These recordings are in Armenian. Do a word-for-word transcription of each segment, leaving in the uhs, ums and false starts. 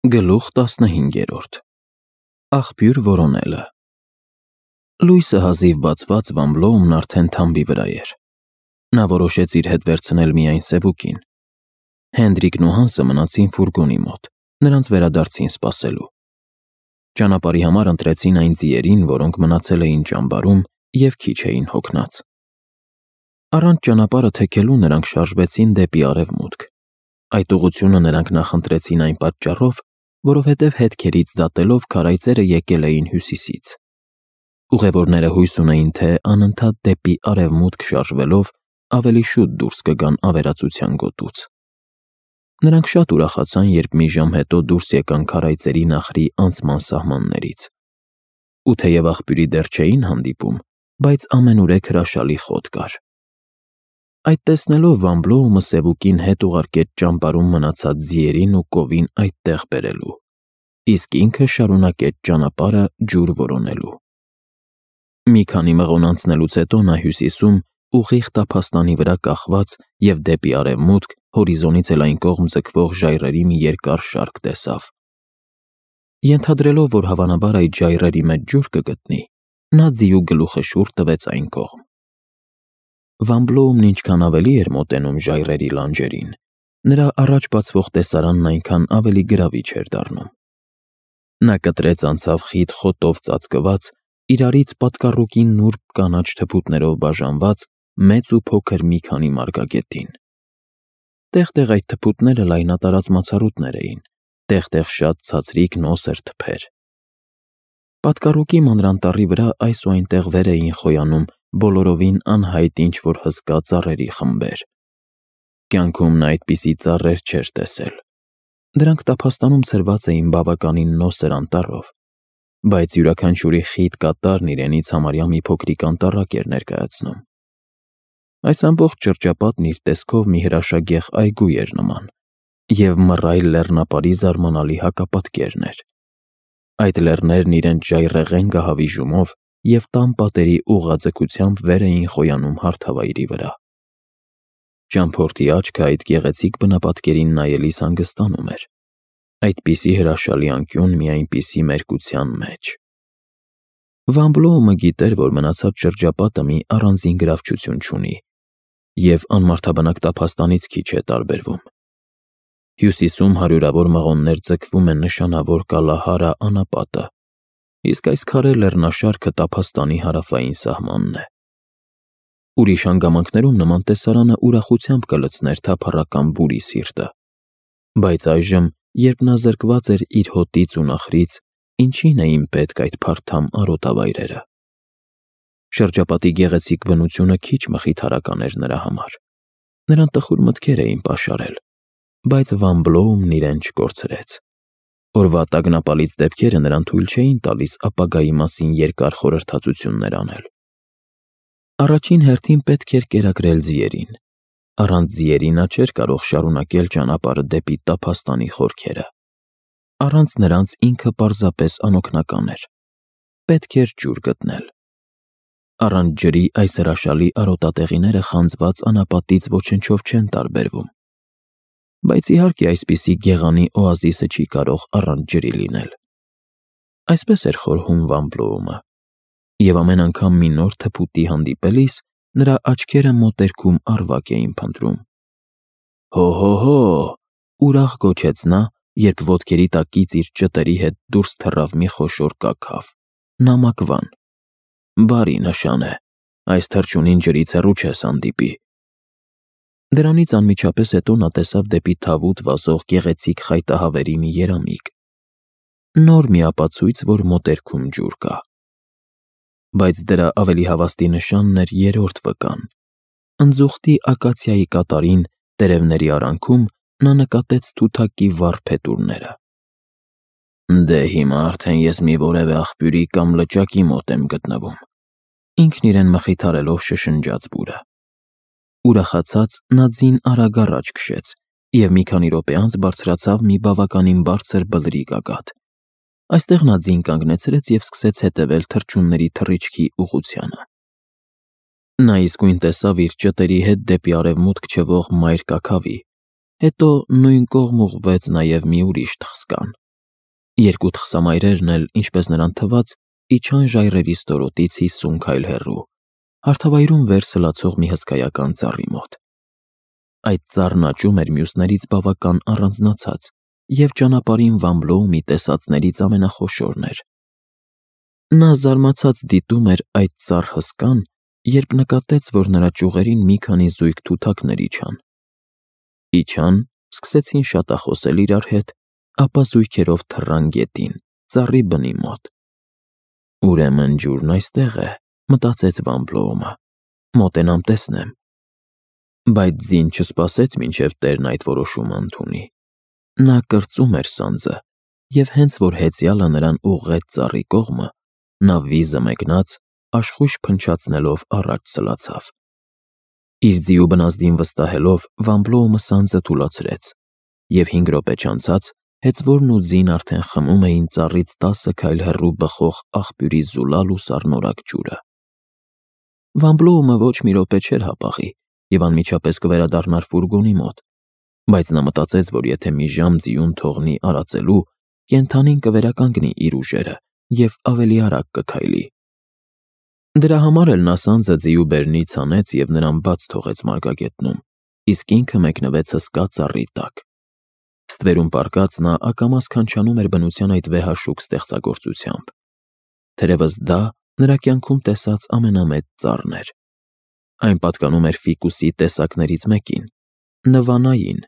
Գլուխ տասնհինգերորդ Աղբյուր որոնելը Լույսը հազիվ բացված Վամբլոումն արդեն թամբի վրա էր։ Նա որոշեց իր հետ վերցնել միայն Սևուկին։ Հենդրիկն ու Հանսը մնացին ֆուրգոնի մոտ, նրանց վերադարձին սպասելու։ Ճանապարհի համար ընտրեցին այն ձիերին, որոնք մնացել էին ճամբարում և քիչ էին հոգնած։ Առանց ճանապարհը թեքելու նրանք շարժվեցին դեպի արևմուտք։ Այդ ուղղությունը նրանք նախընտրեցին այն պատճառով, որովհետև հետքերից դատելով քարայծերը եկել էին հյուսիսից։ Ուղևորները հույս ունեին, թե անընդհատ դեպի արևմուտք շարժվելով ավելի շուտ դուրս կգան ավերածության գոտուց։ Նրանք շատ ուրախացան, երբ մի ժամ հետո դուրս եկան քարայծերի նախրի անցման սահմաններից։ Ու թեև աղբյուրի դեռ չէին հանդիպում, բայց ամենուրեք հրաշալի խոտ կար։ Այդ տեսնելով Վամբլոումը Սևուկին հետ ուղարկեց ճամբարում մնացած ձիերին ու կովին այդտեղ բերելու, իսկ ինքը շարունակեց ճանապարհը ջուր որոնելու։ Մի քանի մղոն անցնելուց հետո նա հյուսիսում, ուղիղ տափաստանի վրա կախված և դեպի արևմուտք, հորիզոնից էլ այն կողմ ձգվող ժայռերի մի երկար շարք տեսավ։ Ենթադրելով, որ հավանաբար այդ ժայռերի մեջ ջուր կգտնի, նա ձիու գլուխը շուռ տվեց այն կողմ։ Վամբլոումն ինչքան ավելի էր մոտենում ժայռերի լանջերին, նրա առաջ բացվող տեսարանն այնքան ավելի գրավիչ էր դառնում։ Նա կտրեց անցավ խիտ խոտով ծածկված, իրարից պատկառուկի նուրբ կանաչ թփուտներով բաժանված մեծ ու փոքր մի քանի մարգագետին։ Տեղ-տեղ այդ թփուտները լայնատարած մացառուտներ էին, տեղ-տեղ շատ ցածրիկ նոսր թփեր։ Պատկառուկի մանրանտառի վրա այս ու այնտեղ վեր էին խոյանում բոլորովին անհայտ ինչ-որ հսկա ծառերի խմբեր։ Կյանքում նա այդպիսի ծառեր չէր տեսել։ Դրանք տափաստանում ցրված էին բավականին նոսր անտառով, բայց յուրաքանչյուրի խիտ կատարն իրենից համարյա մի փոքրիկ անտառակ էր ներկայացնում։ Այս ամբողջ շրջապատն իր տեսքով մի հրաշագեղ այգու էր նման, և մռայլ լեռնապարի զարմանալի հակապատկերն էր։ Այդ լեռներն իրենց ժայռեղեն գահավիժումով և տան պատերի ուղղաձգությամբ վեր էին խոյանում հարթավայրի վրա։ Ճամփորդի աչքը այդ գեղեցիկ բնապատկերին նայելիս հանգստանում էր։ Այդպիսի հրաշալի անկյուն մի այնպիսի մերկության մեջ։ Վամբլոումը գիտեր, որ մնացած շրջապատը մի առանձին գրավչություն չունի և անմարդաբնակ տափաստանից քիչ է տարբերվում։ Հյուսիսում հարյուրավոր մղոններ ձգվում են նշանավոր Կալահարա անապատը, իսկ այս քարե լեռնաշարքը տափաստանի հարավային սահմանն է։ Ուրիշ հանգամանքներում նման տեսարանը ուրախությամբ կլցներ թափառական բուրի սիրտը, բայց այժմ, երբ նա զրկված էր իր հոտից ու նախրից, ինչին էին պետք այդ փարթամ արոտավայրերը։ Շրջապատի գեղեցիկ բնությունը քիչ մխիթարական էր նրա համար։ Նրան տխուր մտքեր էին պաշարել, բայց Վամբլոումն իրեն չկորցրեց։ Օրվա տագնապալից դեպքերը նրան թույլ չէին տալիս ապագայի մասին երկար խորհրդածություններ անել։ Առաջին հերթին պետք էր կերակրել ձիերին։ Առանց ձիերի նա չէր կարող շարունակել ճանապարհը դեպի տափաստանի խորքերը։ Առանց նրանց ինքը պարզապես անօգնական էր։ Պետք էր ջուր գտնել։ Առանց ջրի այս հրաշալի արոտատեղիները խանձված անապատից ոչնչով չեն տարբերվում։ Բայց իհարկե այսպիսի գեղանի օազիսը չի կարող առանց ջրի լինել։ Այսպես էր խորհում Վամբլոումը, և ամեն անգամ մի նոր թփուտի հանդիպելիս նրա աչքերը մոտերքում առվակ էին փնտրում։ «Հո՛հո՛հո՛», ուրախ գոչեց նա, երբ ոտքերի տակից իր ճտերի հետ դուրս թռավ մի խոշոր կաքավ՝ նամակվան։ «Բարի նշան է, այս թռչունին ջրից հեռու չես հանդիպի»։ Դրանից անմիջապես հետո նա տեսավ դեպի թավուտ վազող գեղեցիկ խայտահավերի մի երամիկ։ Նոր մի ապացույց, որ մոտերքում ջուր կա։ Բայց դրա ավելի հավաստի նշանն էր երրորդ վկան։ Ընձուղտի ակացիայի կատարին, տերևների արանքում, նա նկատեց թութակի վառ փետուրները։ «Դե հիմա արդեն ես մի որևէ աղբյուրի կամ լճակի մոտ եմ գտնվում», ինքն իրեն մխիթարելով շշնջաց բուրը։ Ուրախացած նա ձին արագ առաջ քշեց և մի քանի րոպե անց բարձրացավ մի բավականին բարձր բլրի գագաթ։ Այստեղ նա ձին կանգնեցրեց և սկսեց հետևել թռչունների թռիչքի ուղղությանը։ Նա իսկույն տեսավ իր ճտերի հետ դեպի արևմուտք չվող մայր կաքավի, հետո նույն կողմ ուղղվեց նաև մի ուրիշ թխսկան, Երկու թխսամայրերն էլ, ինչպես նրան թվաց, իջան ժայռերի ստորոտից հիսուն քայլ հեռու, հարթավայրում վեր սլացող մի հսկայական ծառի մոտ։ Այդ ծառն աճում էր մյուսներից բավական առանձնացած և ճանապարհին Վան Բլոումի տեսածներից ամենախոշորն էր։ Նա զարմացած դիտում էր այդ ծառ հսկան, երբ նկատեց, որ նրա ճյուղերին մի քանի զույգ թութակներ իջան։ Իջան, սկսեցին շատախոսել իրար հետ, ապա զույգերով թռան գետին, ծառի բնի մոտ։ «Ուրեմն ջուրն այստեղ է», մտածեց Վան Բլոումը, «մոտենամ տեսնեմ»։ Բայց ձին չսպասեց, մինչև տերն այդ որոշումը ընդունի։ Նա կրծում էր սանձը, և հենց որ հեծյալը նրան ուղղեց ծառի կողմը, նա վիզը մեկնած, աշխույժ փնչացնելով առաջ սլացավ։ Իր ձիու բնազդին վստահելով, Վան Բլոումը սանձը թուլացրեց, և հինգ րոպե չանցած հեծվորն ու ձին արդեն խմում էին ծառից տասը քայլ հեռու բխող աղբյուրի զուլալ ու սառնորակ ջուրը։ Վան Բլոումը ոչ մի րոպե չէր հապաղի և անմիջապես կվերադառնար ֆուրգոնի մոտ, բայց նա մտածեց, որ եթե մի ժամ ձիուն թողնի արածելու, կենդանին կվերականգնի իր ուժերը և ավելի արագ կքայլի։ Դրա համար էլ նա սանձը ձիու բերնից հանեց և նրան բաց թողեց մարգագետնում, իսկ ինքը մեկնվեց հսկա ծառի տակ։ Ստվերում պառկած նա ակամա սքանչանում էր բնության այդ վեհաշուք ստեղծագործությամբ։ Թերևս դա նրա կյանքում տեսած ամենամեծ ծառն էր։ Այն պատկանում էր ֆիկուսի տեսակներից մեկին՝ նվանային,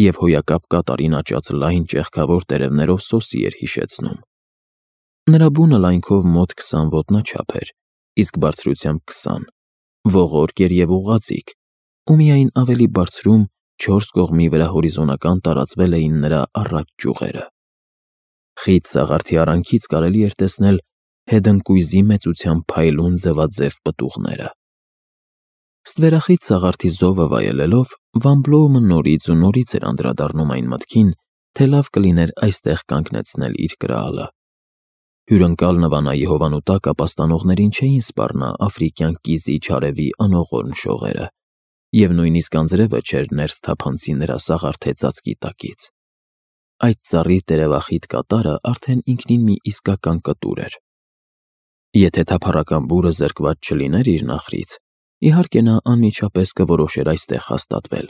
և հոյակապ կատարին աճած լայն ճեղքավոր տերևներով սոսի էր հիշեցնում։ Նրա բունը լայնքով մոտ քսան ոտնաչափ էր, իսկ բարձրությամբ քսան, ողորկ էր և ուղղաձիգ, ու միայն ավելի բարձրում, չորս կողմի վրա հորիզոնական տարածվել էին նրա առաջ ճյուղերը։ Խիտ սաղարթի արանքից կարելի էր տեսնել հետընկույզի մեծությամբ փայլուն ձվաձև պտուղները։ Ստվերախիտ սաղարթի զովը վայելելով, Վան Բլոումը նորից ու նորից էր անդրադառնում այն մտքին, թե լավ կլիներ այստեղ կանգնեցնել իր կրալը։ Հյուրընկալ նվանայի հովանու տակ ապաստանողներին չէին սպառնա աֆրիկյան կիզի չարևի անողորմ շողերը, և նույնիսկ անձրևը չէր ներս թափանցի նրա սաղարթե ծածկի տակից։ Այդ ծառի տերևախիտ կատարը արդեն ինքնին մի իսկական կտուր էր։ Եթե թափառական բուրը զրկված չլիներ իր նախրից, իհարկե նա անմիջապես կորոշեր այստեղ հաստատվել։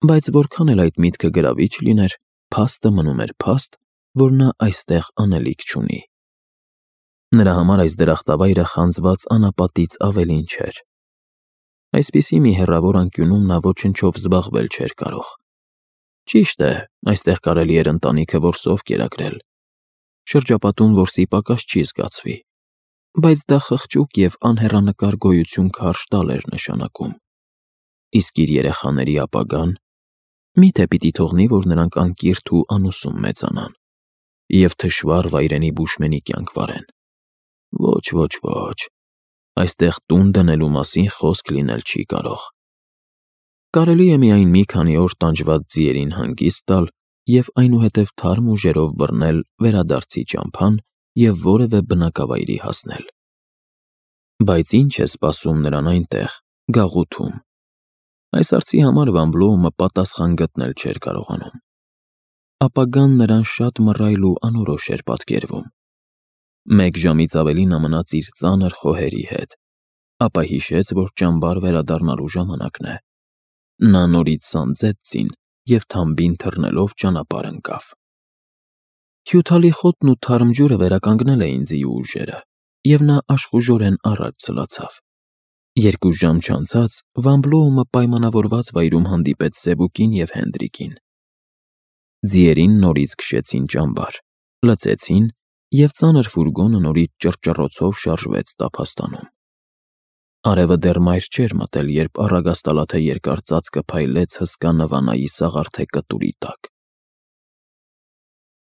Բայց որքան էլ այդ միտքը գրավիչ լիներ, փաստը մնում էր փաստ, որ նա այստեղ անելիք չունի։ Նրա համար այս դրախտավայրը խանձված անապատից ավելին չէր։ Այսպիսի մի հեռավոր անկյունում նա ոչնչով զբաղվել չէր կարող։ Ճիշտ է, այստեղ կարելի էր ընտանիքը որսով կերակրել, շրջապատում որսի պակաս չի զգացվի, բայց դա խղճուկ և անհեռանկար գոյություն քարշ տալ էր նշանակում։ Իսկ իր երեխաների ապագան… Մի՞թե պիտի թողնի, որ նրանք անկիրթ ու անուսում մեծանան և թշվառ վայրենի բուշմենի կյանք վարեն։ Ոչ, ոչ, ոչ, այստեղ տուն դնելու մասին խոսք լինել չի կարող։ Կարելի է միայն մի քանի օր տանջված ձիերին հանգիստ տալ և այնուհետև թարմ ուժերով բռնել վերադարձի ճամփան և որևէ բնակավայրի հասնել։ Բայց ի՞նչ է սպասում նրան այնտեղ, գաղութում։ Այս հարցի համար Վան Բլոումը պատասխան գտնել չէր կարողանում։ Ապագան նրան շատ մռայլ ու անորոշ էր պատկերվում։ Մեկ ժամից ավելի նա մնաց իր ծանր խոհերի հետ, ապա հիշեց, որ ճամբար վերադառնալու ժամանակն է։ Նա նորից սանձեց ձին և թամբին թռնելով ճանապարհ ընկավ։ Հյութալի խոտն ու թարմ ջուրը վերականգնել էին ձիու ուժերը, և նա աշխուժորեն առաջ սլացավ։ Երկու ժամ չանցած Վան Բլոումը պայմանավորված վայրում հանդիպեց Սևուկին և Հենդրիկին։ Ձիերին նորից քշեցին ճամբար, լցեցին, և ծանր ֆուրգոնը նորից ճռճռոցով շարժվեց տափաստանում։ Արևը դեռ մայր չէր մտել, երբ առագաստալաթե երկար ծածկը փայլեց հսկա նվանայի սաղարթե կտուրի տակ։